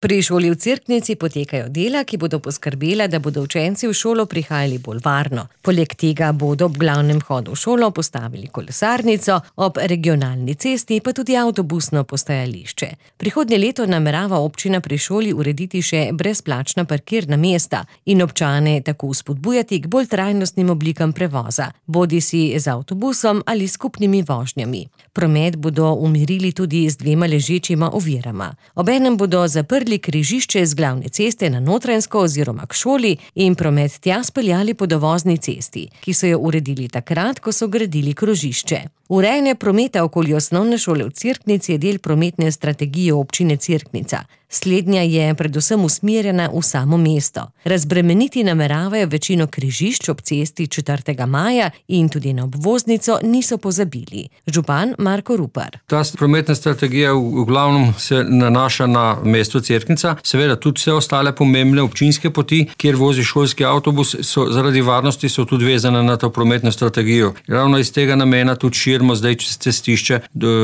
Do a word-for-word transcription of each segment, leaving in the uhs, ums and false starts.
Pri šoli v Cerknici potekajo dela, ki bodo poskrbela, da bodo učenci v šolo prihajali bolj varno. Poleg tega bodo ob glavnem vhodu v šolo postavili kolesarnico, ob regionalni cesti pa tudi avtobusno postajališče. Prihodnje leto namerava občina pri šoli urediti še brezplačna parkirna mesta in občane tako spodbujati k bolj trajnostnim oblikam prevoza, bodisi z avtobusom ali skupnimi vožnjami. Promet bodo umirili tudi z dvema ležečima ovirama. Obenem bodo zaprli križišče z glavne ceste na Notranjsko oziroma k šoli in promet tja speljali po dovozni cesti, ki so jo uredili takrat, ko so gradili krožišče. Urejanje prometa okoli osnovne šole v Cerknici je del prometne strategije občine Cerknica. Slednja je predvsem usmerjena v samo mesto. Razbremeniti nameravajo večino križišč ob cesti četrtega maja in tudi na obvoznico niso pozabili. Župan Marko Rupar. Ta prometna strategija v glavnem se nanaša na mesto Cerknica, seveda tudi vse ostale pomembne občinske poti, kjer vozi šolski avtobus, so zaradi varnosti so tudi vezane na to prometno strategijo. Ravno iz tega namena tudi širimo zdaj cestišče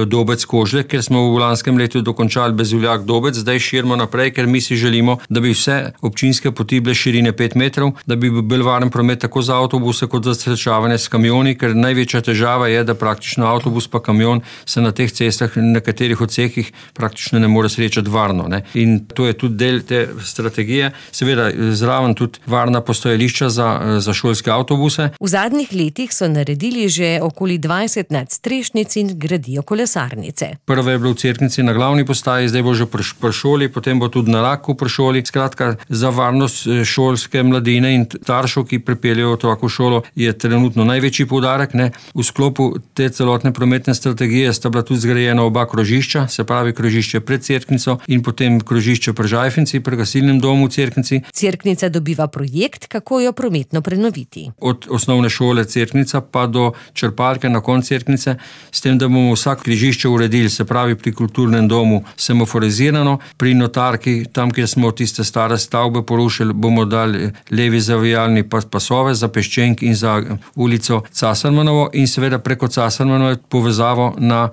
Dobec-Kožle, ker smo v lanskem letu dokončali Bezuljak-Dobec, zdaj širimo naprej, ker mi si želimo, da bi vse občinske poti bile širine pet metrov, da bi bil varen promet tako za avtobuse kot za srečavanje s kamioni, ker največja težava je, da praktično avtobus pa kamion se na teh cestah na nekaterih odsekih praktično ne more srečati varno. Ne. In to je tudi del te strategije. Seveda zraven tudi varna postajališča za, za šolske avtobuse. V zadnjih letih so naredili že okoli dvajset nadstrešnic in gradijo kolesarnice. Prva je bila v Cerknici na glavni postaji, zdaj bo že pri šoli, potem bo tudi na Raku pri šoli. Skratka, za varnost šolske mladine in staršev, ki pripeljejo otroka v šolo, je trenutno največji poudarek. Ne. V sklopu te celotne prometne strategije sta bila tudi zgrajena oba krožišča, se pravi krožišče pred Cerknico in potem krožišče pri Žajfenci, pri gasilnem domu v Cerknici. Cerknica dobiva projekt, kako jo prometno prenoviti. Od osnovne šole Cerknica pa do črpalke na koncu Cerknice, s tem, da bomo vsak križišče uredili, se pravi pri kulturnem domu semaforizirano, pri notarki, tam, kjer smo tiste stare stavbe porušili, bomo dali levi zavijalni pasove za peščenk in za ulico Casarmanovo in seveda preko Casarmanove povezavo na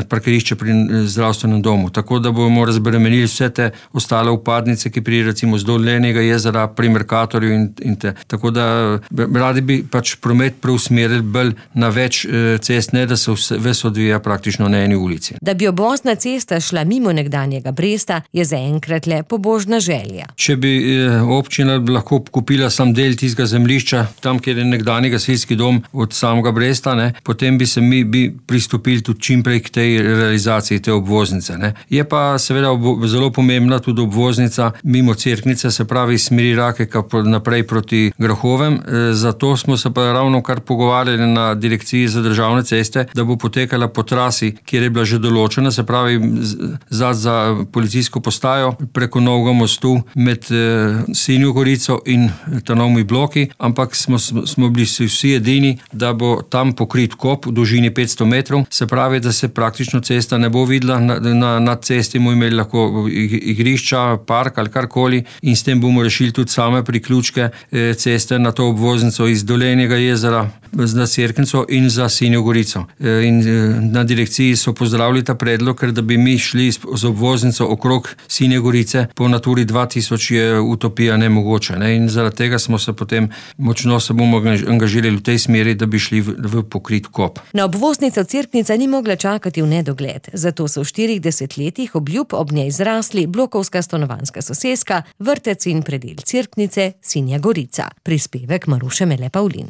parkirišče pri zdravstvenem domu. Tako da bomo razbremenili vse te ostale upadnice, ki pri recimo z Dolenjega jezera, pri Merkatorju in, in te. Tako da radi bi pač promet preusmerili bolj na več cest, ne da se vse, ves odvija praktično na eni ulici. Da bi obvozna cesta šla mimo nekdanjega Bresta, je zaenkrat le pobožna želja. Če bi občina lahko kupila sam del tistega zemljišča, tam, kjer je nekdanji gasilski dom od samega Bresta, ne, potem bi se mi bi pristopili tudi čimprej k tej realizaciji te obvoznice. Ne. Je pa seveda ob, zelo pomembna tudi obvoznica mimo Cerknice, se pravi iz smeri Rakeka naprej proti Grahovem. Zato smo se pa ravno kar pogovarjali na direkciji za državne ceste, da bo potekala po trasi, kjer je bila že določena, se pravi za, za policijsko postajo preko Novega mostu med eh, Sinjo Gorico in Trnovimi bloki, ampak smo, smo bili vsi edini, da bo tam pokrit kop v dolžini petsto metrov, se pravi, da se praktično cesta ne bo videla, na, na, na cesti bomo imeli lahko igrišča, park ali karkoli in s tem bomo rešili tudi same priključke eh, ceste na to obvoznico iz Dolenjega jezera za Cerknico in za Sinjo Gorico. Eh, in eh, na direkciji so pozdravili ta predlog, ker da bi mi šli z obvoznico okrog Sinje Gorice po Naturi dva tisoč je utopija nemogoča. Ne? In zaradi tega smo se potem močno se bomo angažirali v tej smeri, da bi šli v, v pokrit kop. Na obvoznico Cerknica ni mogla čakati v nedogled, zato so v štirih desetletjih obljub ob njej zrasli blokovska stanovanjska soseska, vrtec in predel Cerknice, Sinja Gorica. Prispevek Maruše Mele Pavlin.